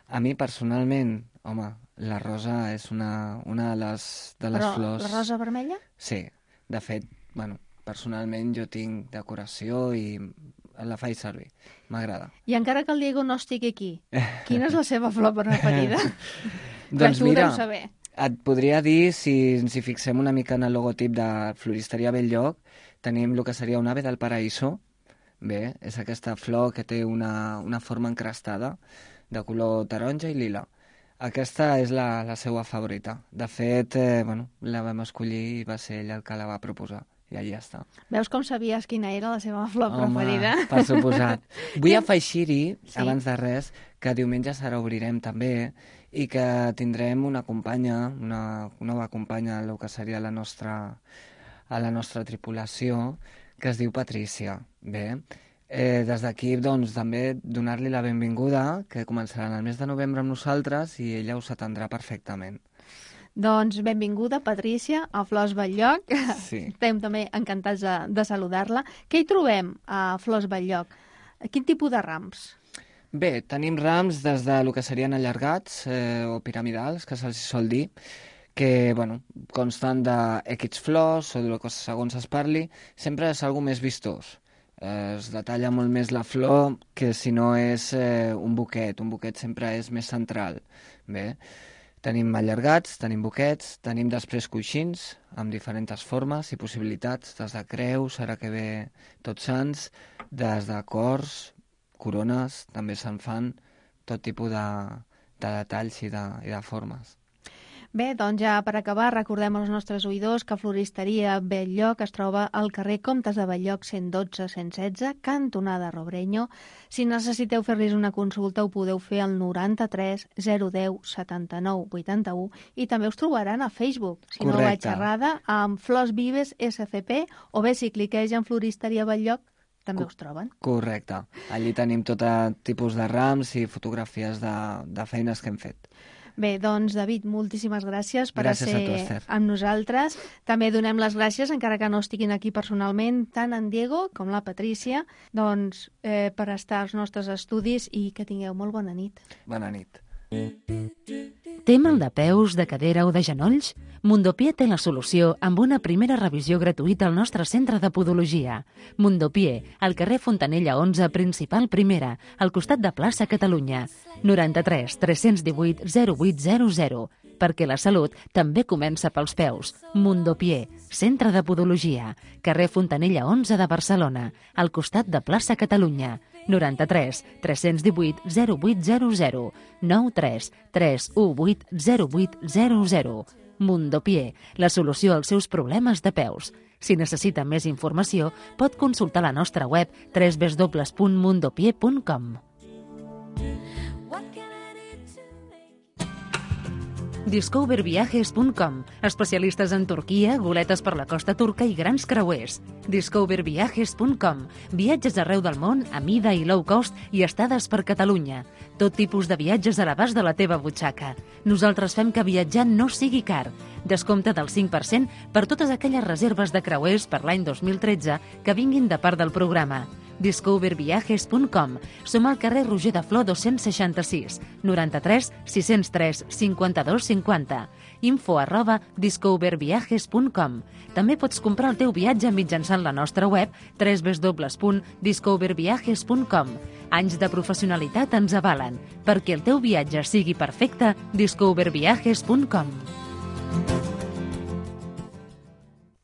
A mi, personalment, home, la rosa és una de les Però flors... la rosa vermella? Sí, de fet, bueno, personalment jo tinc decoració i la faig servir, m'agrada. I encara que el Diego no estigui aquí, quina és la seva flor preferida? Doncs tu mira, deus saber. Et podria dir, si ens hi fixem una mica en el logotip de Floristeria Belllloc, tenim el que seria un ave del paraíso. Bé, és aquesta flor que té una forma encrestada, de color taronja i lila. Aquesta és la seva favorita. De fet, la vam escollir i va ser ella el que la va proposar. I allà està. Veus com sabies quina era la seva flor preferida? Home, per suposat. Vull afegir-hi, abans de res, que diumenge serà obrirem també i que tindrem una companya, una nova companya del que seria a la nostra tripulació, que es diu Patrícia. Bé, des d'aquí, doncs, també donar-li la benvinguda, que començarà el mes de novembre amb nosaltres i ella us atendrà perfectament. Doncs benvinguda, Patrícia, a Flors Belllloc. Sí. Estem també encantats de saludar-la. Què hi trobem a Flors Belllloc? Quin tipus de rams? Bé, tenim rams des de lo que serien allargats o piramidals, que se'ls sol dir, que consten d'X flors o de lo que segons es parli, sempre és algo més vistós. Es detalla molt més la flor que si no és un buquet. Un buquet sempre és més central. Bé, tenim allargats, tenim buquets, tenim després coixins amb diferents formes i possibilitats, des de creus, ara que ve Tots Sants, des de cors, corones, també se'n fan tot tipus de detalls i de formes. Bé, doncs ja per acabar recordem als nostres oïdors que Floristeria Belllloc es troba al carrer Comtes de Belloc 112 116, cantonada Robrenyo. Si necessiteu fer-los una consulta ho podeu fer al 93 010 79 81 i també us trobaran a Facebook, si no vaig errada, amb Flors Vives SCP, o bé si cliqueu en Floristeria Belllloc també us troben. Correcte. Allí tenim tot tipus de rams i fotografies de feines que hem fet. Bé, doncs, David, moltíssimes gràcies per ser amb nosaltres. També donem les gràcies, encara que no estiguin aquí personalment, tant en Diego com la Patrícia, doncs, per estar als nostres estudis i que tingueu molt bona nit. Bona nit. Té mal de peus, de cadera o de genolls? Mundopié té la solució amb una primera revisió gratuïta al nostre centre de podologia. Mundopié, al carrer Fontanella 11, principal primera, al costat de plaça Catalunya. 93 318 0800, perquè la salut també comença pels peus. Mundopié, centre de podologia, carrer Fontanella 11 de Barcelona, al costat de plaça Catalunya. 93 318 0800, 93 318 0800. Mundopié, la solució als seus problemes de peus. Si necessita més informació, pot consultar la nostra web www.mundopié.com. Discoverviajes.com, especialistes en Turquia, goletes per la costa turca i grans creuers. Discoverviajes.com, viatges arreu del món a mida i low cost i estades per Catalunya. Tot tipus de viatges a l'abast de la teva butxaca. Nosaltres fem que viatjar no sigui car. Descompte del 5% per totes aquelles reserves de creuers per l'any 2013 que vinguin de part del programa. Discoverviajes.com. Som al carrer Roger de Flor 266, 93 603 52 50. info@discoverviajes.com. També pots comprar el teu viatge mitjançant la nostra web www.discoverviajes.com. Anys de professionalitat ens avalen. Perquè el teu viatge sigui perfecte, discoverviajes.com.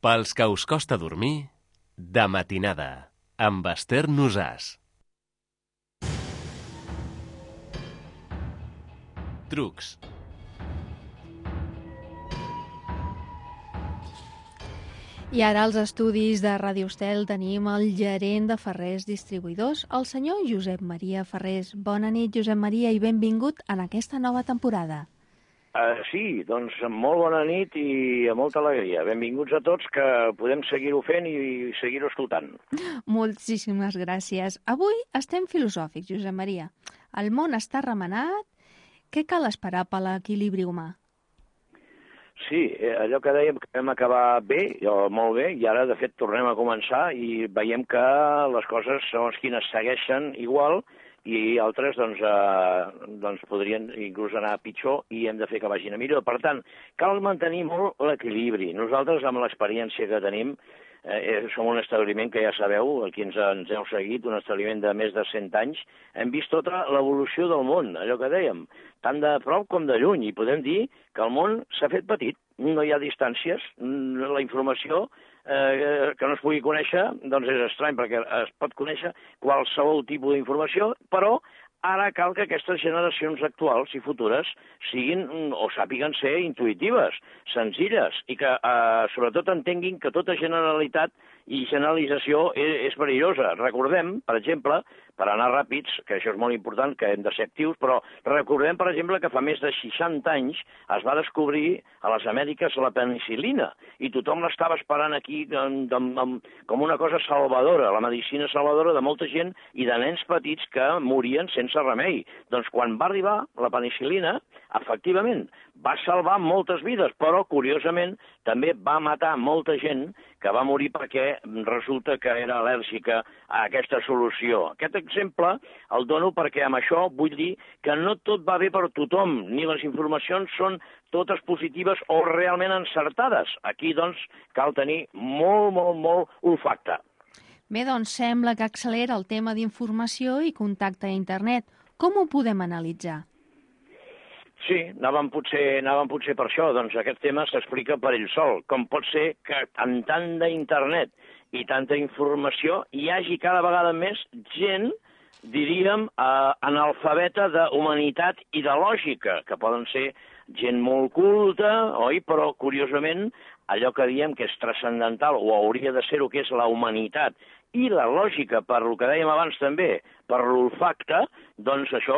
Pels que us costa dormir, de matinada, amb Esther Nosàs. Trucs. I ara als estudis de Ràdio Estel tenim el gerent de Ferrers Distribuïdors, el senyor Josep Maria Ferrers. Bona nit, Josep Maria, i benvingut en aquesta nova temporada. Sí, doncs molt bona nit i amb molta alegria. Benvinguts a tots, que podem seguir-ho fent i seguir-ho escoltant. Moltíssimes gràcies. Avui estem filosòfics, Josep Maria. El món està remenat. Què cal esperar per l'equilibri humà? Sí, allò que dèiem que vam acabar bé, molt bé, i ara, de fet, tornem a començar i veiem que les coses, segons quines, segueixen igual i altres doncs podrien inclús anar pitjor i hem de fer que vagin a millor. Per tant, cal mantenir molt l'equilibri. Nosaltres, amb l'experiència que tenim, som un establiment que ja sabeu, aquí ens heu seguit, un establiment de més de 100 anys, hem vist tota l'evolució del món, allò que dèiem, tant de prop com de lluny, i podem dir que el món s'ha fet petit, no hi ha distàncies, la informació que no es pugui conèixer, doncs és estrany, perquè es pot conèixer qualsevol tipus d'informació, però ara cal que aquestes generacions actuals i futures siguin o sàpiguen ser intuïtives, senzilles, i que sobretot entenguin que tota generalitat i generalització és perillosa. Recordem, per exemple, per anar ràpids, que això és molt important, que hem de ser actius, però recordem, per exemple, que fa més de 60 anys es va descobrir a les Amèriques la penicil·lina, i tothom l'estava esperant aquí com una cosa salvadora, la medicina salvadora de molta gent i de nens petits que morien sense remei. Doncs quan va arribar la penicil·lina, efectivament, va salvar moltes vides, però, curiosament, també va matar molta gent que va morir perquè resulta que era al·lèrgica a aquesta solució. Aquest exemple el dono perquè amb això vull dir que no tot va bé per tothom, ni les informacions són totes positives o realment encertades. Aquí, doncs, cal tenir molt olfacte. Bé, doncs sembla que accelera el tema d'informació i contacte a internet. Com ho podem analitzar? Sí, anàvem potser per això. Doncs aquest tema s'explica per ell sol. Com pot ser que en tant d'internet i tanta informació hi hagi cada vegada més gent, diríem, analfabeta de humanitat i de lògica, que poden ser gent molt culta, oi? Però, curiosament, allò que diem que és transcendental, o hauria de ser-ho, que és la humanitat, i la lògica, per el que dèiem abans també, per l'olfacte, doncs això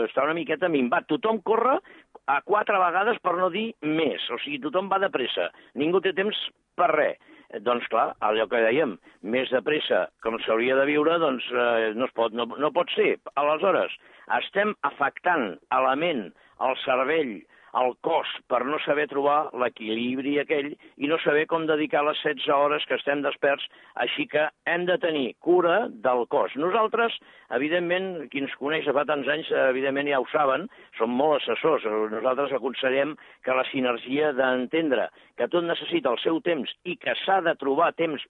està una miqueta minvat. Tothom corre a 4 vegades, per no dir més. O sigui, tothom va de pressa. Ningú té temps per res. Doncs clar, allò que dèiem, més de pressa com s'hauria de viure, doncs no pot ser. Aleshores, estem afectant a la ment, al cervell, al cos, per no saber trobar l'equilibri aquell i no saber com dedicar les 16 hores que estem desperts, així que hem de tenir cura del cos. Nosaltres, evidentment, qui ens coneix fa tants anys, evidentment ja ho saben, som molt assessors. Nosaltres aconsellem que la sinergia d'entendre que tot necessita el seu temps i que s'ha de trobar temps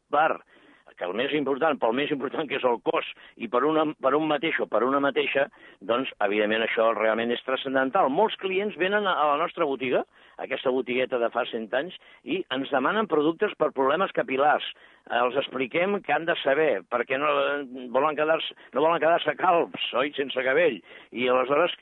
que el més important, pel més important que és el cos, i per un mateix o per una mateixa, doncs, evidentment, això realment és transcendental. Molts clients venen a la nostra botiga, aquesta botigueta de fa 100 anys, i ens demanen productes per problemes capil·lars. Els expliquem que han de saber, perquè no volen quedar-se calbs, oi?, sense cabell. I aleshores,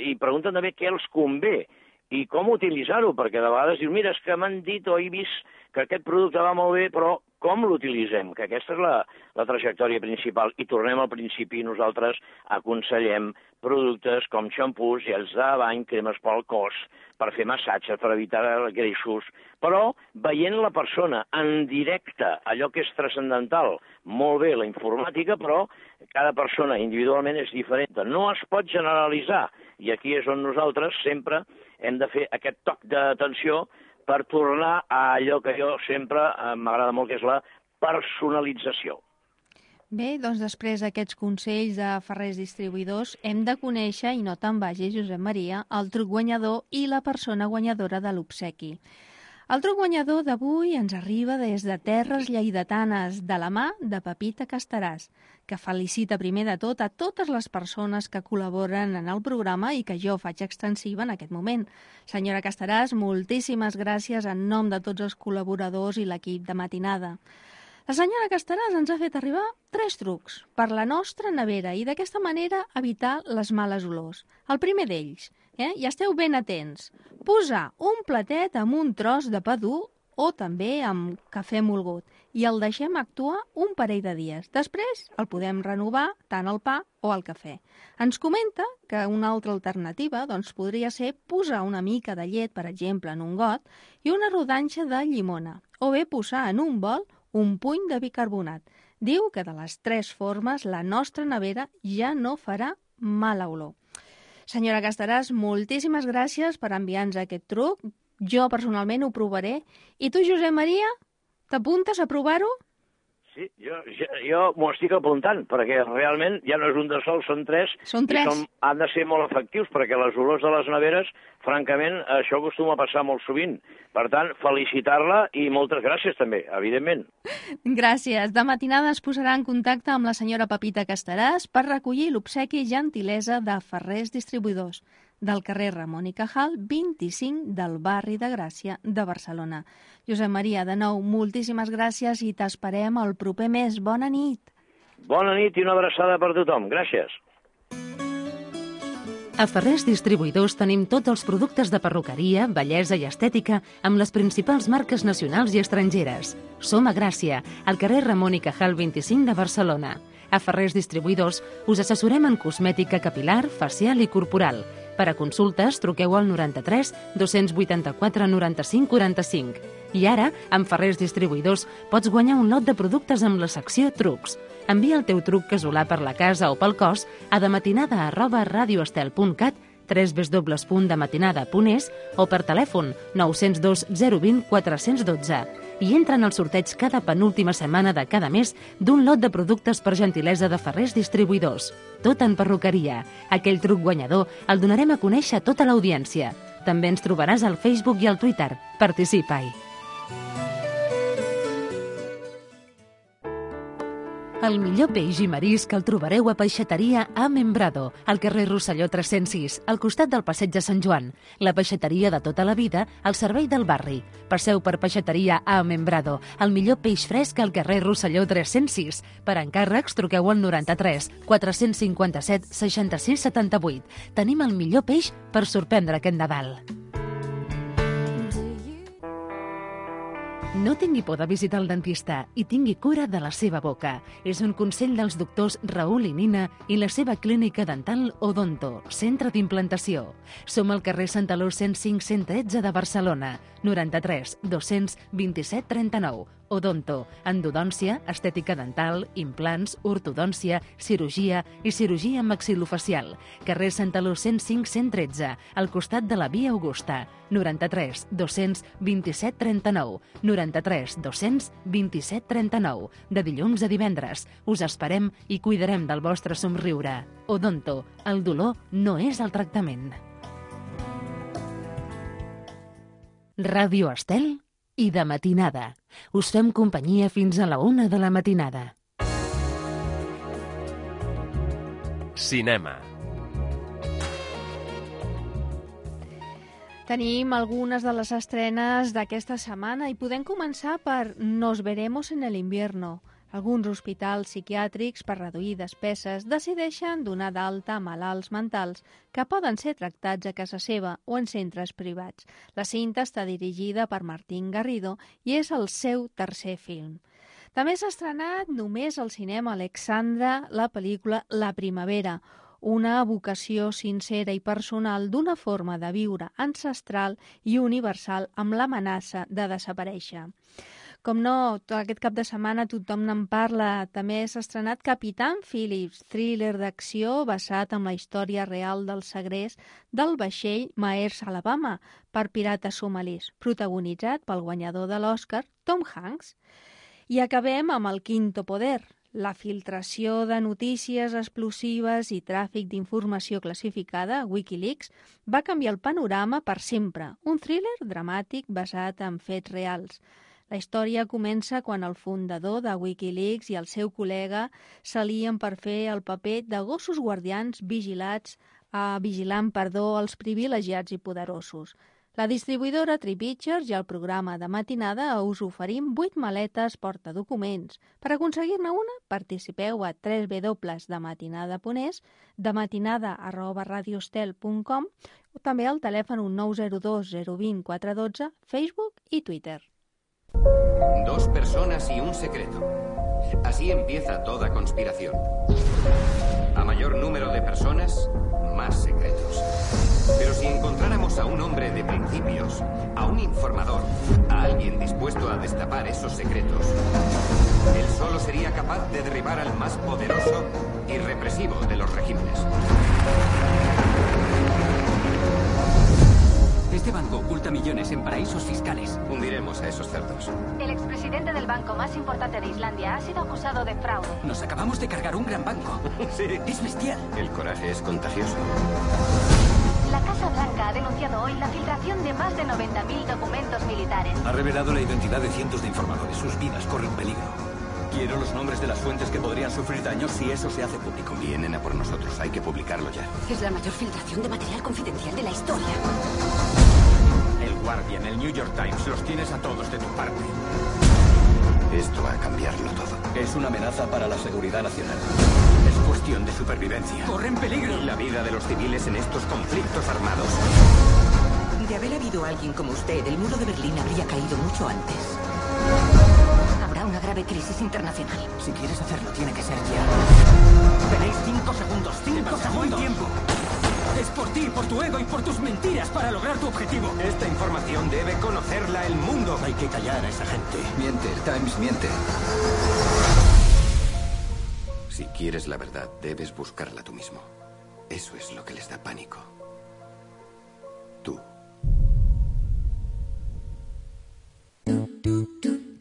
i pregunten també què els convé i com utilitzar-ho, perquè de vegades diu, mira, és que m'han dit o he vist que aquest producte va molt bé, però com l'utilitzem? Que aquesta és la trajectòria principal. I tornem al principi, nosaltres aconsellem productes com xampús, gels de bany, cremes pel cos, per fer massatges, per evitar greixos, però veient la persona en directe, allò que és transcendental, molt bé la informàtica, però cada persona individualment és diferent. No es pot generalitzar, i aquí és on nosaltres sempre hem de fer aquest toc d'atenció per tornar a allò que jo sempre m'agrada molt, que és la personalització. Bé, doncs després d'aquests consells de Ferrers Distribuïdors hem de conèixer, i no te'n vagis, Josep Maria, el truc guanyador i la persona guanyadora de l'obsequi. El truc guanyador d'avui ens arriba des de terres lleidatanes, de la mà de Pepita Castaràs, que felicita primer de tot a totes les persones que col·laboren en el programa i que jo faig extensiva en aquest moment. Senyora Castaràs, moltíssimes gràcies en nom de tots els col·laboradors i l'equip de Matinada. La senyora Castaràs ens ha fet arribar 3 trucs per la nostra nevera i d'aquesta manera evitar les males olors. El primer d'ells, i esteu ben atents, posar un platet amb un tros de pa dur o també amb cafè molgut i el deixem actuar un parell de dies. Després el podem renovar tant el pa o el cafè. Ens comenta que una altra alternativa podria ser posar una mica de llet, per exemple, en un got i una rodanxa de llimona, o bé posar en un bol un puny de bicarbonat. Diu que de les 3 formes la nostra nevera ja no farà mala olor. Senyora Castaràs, moltíssimes gràcies per enviar-nos aquest truc. Jo personalment ho provaré. I tu, Josep Maria, t'apuntes a provar-ho? Sí, jo m'ho estic apuntant, perquè realment ja no és un de sol, són 3. Són 3. I han de ser molt efectius, perquè les olors de les neveres, francament, això acostuma a passar molt sovint. Per tant, felicitar-la i moltes gràcies també, evidentment. Gràcies. De matinada es posarà en contacte amb la senyora Pepita Castaràs per recollir l'obsequi i gentilesa de Ferrers Distribuïdors, del carrer Ramon i Cajal, 25 del barri de Gràcia de Barcelona. Josep Maria, de nou, moltíssimes gràcies i t'esperem el proper mes. Bona nit. Bona nit i una abraçada per tothom. Gràcies. A Ferrers Distribuïdors tenim tots els productes de perruqueria, bellesa i estètica amb les principals marques nacionals i estrangeres. Som a Gràcia, al carrer Ramon i Cajal 25 de Barcelona. A Ferrers Distribuïdors us assessorem en cosmètica capilar, facial i corporal. Per a consultes, truqueu al 93 284 95 45. I ara, amb Ferrers Distribuïdors, pots guanyar un lot de productes amb la secció Trucs. Envia el teu truc casolà per la casa o pel cos a dematinada@radioestel.cat, www.dematinada.es o per telèfon 902 020 412 i entra en el sorteig cada penúltima setmana de cada mes d'un lot de productes per gentilesa de Ferrers Distribuïdors. Tot en perruqueria. Aquell truc guanyador el donarem a conèixer a tota l'audiència. També ens trobaràs al Facebook i al Twitter. Participa-hi. El millor peix i marisc el trobareu a Peixateria A Membrado, al carrer Rosselló 306, al costat del Passeig de Sant Joan. La peixateria de tota la vida, al servei del barri. Passeu per Peixateria A Membrado, el millor peix fresc al carrer Rosselló 306. Per encàrrecs, truqueu al 93 457 66 78. Tenim el millor peix per sorprendre aquest Nadal. No tingui por de visitar el dentista i tingui cura de la seva boca. És un consell dels doctors Raül i Nina i la seva clínica dental Odonto, centre d'implantació. Som al carrer Santaló 105 113 de Barcelona, 93 227 39. Odonto, endodòncia, estètica dental, implants, ortodòncia, cirurgia i cirurgia maxilofacial. Carrer Santaló 105 113, al costat de la Via Augusta, 93 227 39, 93 227 39, de dilluns a divendres. Us esperem i cuidarem del vostre somriure. Odonto, el dolor no és el tractament. Ràdio Estel i de matinada. Us fem companyia fins a la 1 de la matinada. Cinema. Tenim algunes de les estrenes d'aquesta setmana i podem començar per Nos veremos en el invierno. Alguns hospitals psiquiàtrics, per reduir despeses, decideixen donar d'alta a malalts mentals que poden ser tractats a casa seva o en centres privats. La cinta està dirigida per Martín Garrido i és el seu tercer film. També s'ha estrenat només al cinema Alexandra la pel·lícula La primavera, una evocació sincera i personal d'una forma de viure ancestral i universal amb l'amenaça de desaparèixer. Com no, aquest cap de setmana tothom n'en parla. També s'ha estrenat Capitán Phillips, thriller d'acció basat en la història real del segrest del vaixell Maersk Alabama per pirates somalis, protagonitzat pel guanyador de l'Oscar, Tom Hanks. I acabem amb El quinto poder, La filtració de notícies explosives i tràfic d'informació classificada, Wikileaks, va canviar el panorama per sempre. Un thriller dramàtic basat en fets reals. La història comença quan el fundador de Wikileaks i el seu col·lega s'alien per fer el paper de gossos guardians vigilant els privilegiats i poderosos. La distribuïdora Tree Pictures i el programa de matinada us oferim 8 maletes portadocuments. Per aconseguir-ne una, participeu a www.dematinada.es, dematinada@radiostel.com o també al telèfon 902 020 412, Facebook i Twitter. 2 personas y un secreto. Así empieza toda conspiración. A mayor número de personas, más secretos. Pero si encontráramos a un hombre de principios, a un informador, a alguien dispuesto a destapar esos secretos, él solo sería capaz de derribar al más poderoso y represivo de los regímenes. Este banco oculta millones en paraísos fiscales. Hundiremos a esos cerdos. El expresidente del banco más importante de Islandia ha sido acusado de fraude. Nos acabamos de cargar un gran banco. Sí. Es bestial. El coraje es contagioso. La Casa Blanca ha denunciado hoy la filtración de más de 90.000 documentos militares. Ha revelado la identidad de cientos de informadores. Sus vidas corren peligro. Quiero los nombres de las fuentes que podrían sufrir daños si eso se hace público. Vienen a por nosotros. Hay que publicarlo ya. Es la mayor filtración de material confidencial de la historia. El Guardian, el New York Times, los tienes a todos de tu parte. Esto va a cambiarlo todo. Es una amenaza para la seguridad nacional. Es cuestión de supervivencia. ¡Corren peligro! La vida de los civiles en estos conflictos armados. De haber habido alguien como usted, el muro de Berlín habría caído mucho antes. Habrá una grave crisis internacional. Si quieres hacerlo, tiene que ser ya. Tenéis 5 segundos. 5 segundos. Tiempo. Es por ti, por tu ego y por tus mentiras para lograr tu objetivo. Esta información debe conocerla el mundo. Hay que callar a esa gente. Miente, el Times miente. Si quieres la verdad, debes buscarla tú mismo. Eso es lo que les da pánico. Tú.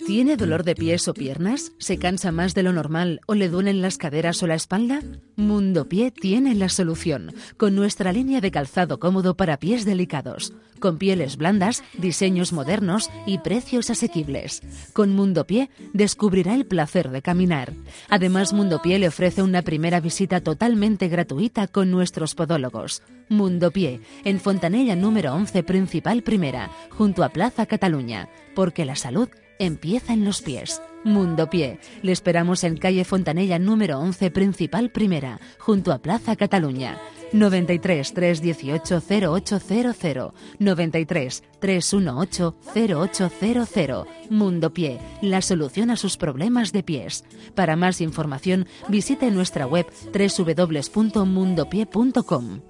¿Tiene dolor de pies o piernas? ¿Se cansa más de lo normal o le duelen las caderas o la espalda? Mundo Pie tiene la solución, con nuestra línea de calzado cómodo para pies delicados, con pieles blandas, diseños modernos y precios asequibles. Con Mundo Pie descubrirá el placer de caminar. Además, Mundo Pie le ofrece una primera visita totalmente gratuita con nuestros podólogos. Mundo Pie, en Fontanella número 11, Principal Primera, junto a Plaza Cataluña, porque la salud empieza en los pies. Mundo Pie. Le esperamos en calle Fontanella número 11, Principal Primera, junto a Plaza Cataluña. 93 318 0800, 93 318 0800. Mundo Pie, la solución a sus problemas de pies. Para más información, visite nuestra web www.mundopie.com.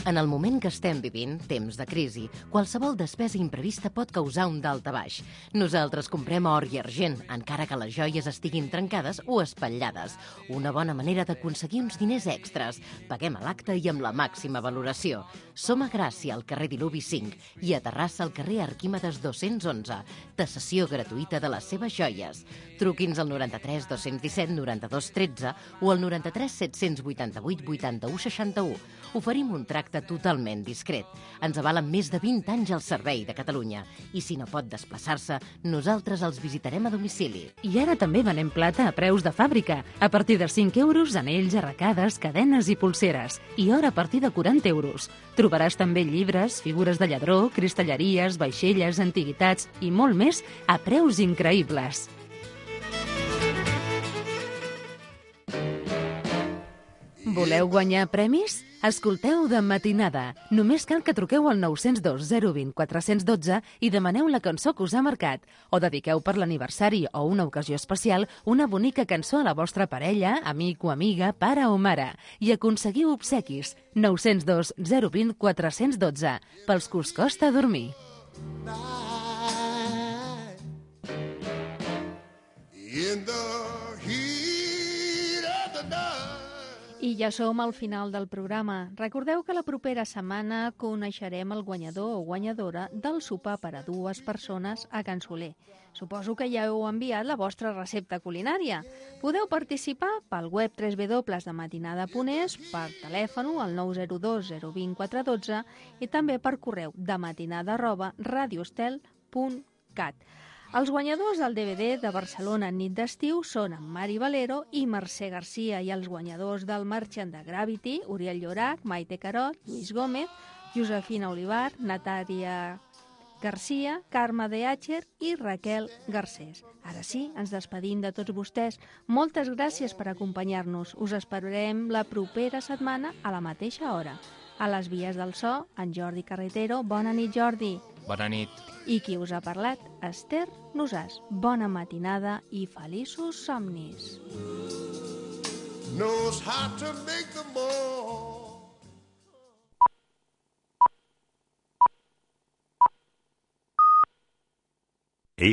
En el moment que estem vivint, temps de crisi, qualsevol despesa imprevista pot causar un daltabaix. Nosaltres comprem or i argent, encara que les joies estiguin trencades o espatllades. Una bona manera d'aconseguir uns diners extras. Paguem a l'acte i amb la màxima valoració. Som a Gràcia, al carrer Diluvi 5, i a Terrassa, al carrer Arquímedes 211. Tasació gratuïta de les seves joies. Truqui'ns al 93 217 92 13 o al 93 788 81 61. Oferim un tracte totalment discret. Ens avalen més de 20 anys al servei de Catalunya. I si no pot desplaçar-se, nosaltres els visitarem a domicili. I ara també venem plata a preus de fàbrica. A partir de 5 euros, anells, arracades, cadenes i pulseres. I or a partir de 40 euros. Trobaràs també llibres, figures de lladró, cristalleries, vaixelles, antiguitats i molt més a preus increïbles. Voleu guanyar premis? Escolteu De Matinada. Només cal que truqueu al 902 020 412 i demaneu la cançó que us ha marcat. O dediqueu per l'aniversari o una ocasió especial una bonica cançó a la vostra parella, amic o amiga, pare o mare. I aconseguiu obsequis. 902 020 412. Pels que us costa dormir. I ja som al final del programa. Recordeu que la propera setmana coneixerem el guanyador o guanyadora del sopar per a 2 persones a Can Soler. Suposo que ja heu enviat la vostra recepta culinària. Podeu participar pel web www.dematinada.es, per telèfon al 902 020 412 i també per correu dematinada@radioestel.cat. Els guanyadors del DVD de Barcelona nit d'estiu són en Mari Valero i Mercè Garcia, i els guanyadors del Merchant de Gravity, Oriol Llorac, Maite Carot, Lluís Gómez, Josefina Olivar, Natàlia Garcia, Carme de Àcher i Raquel Garcés. Ara sí, ens despedim de tots vostès. Moltes gràcies per acompanyar-nos. Us esperarem la propera setmana a la mateixa hora. A les vies del so, en Jordi Carretero. Bona nit, Jordi. Bona nit. I qui us ha parlat? Esther Nosàs. Bona matinada i feliços somnis. Knows how to make the more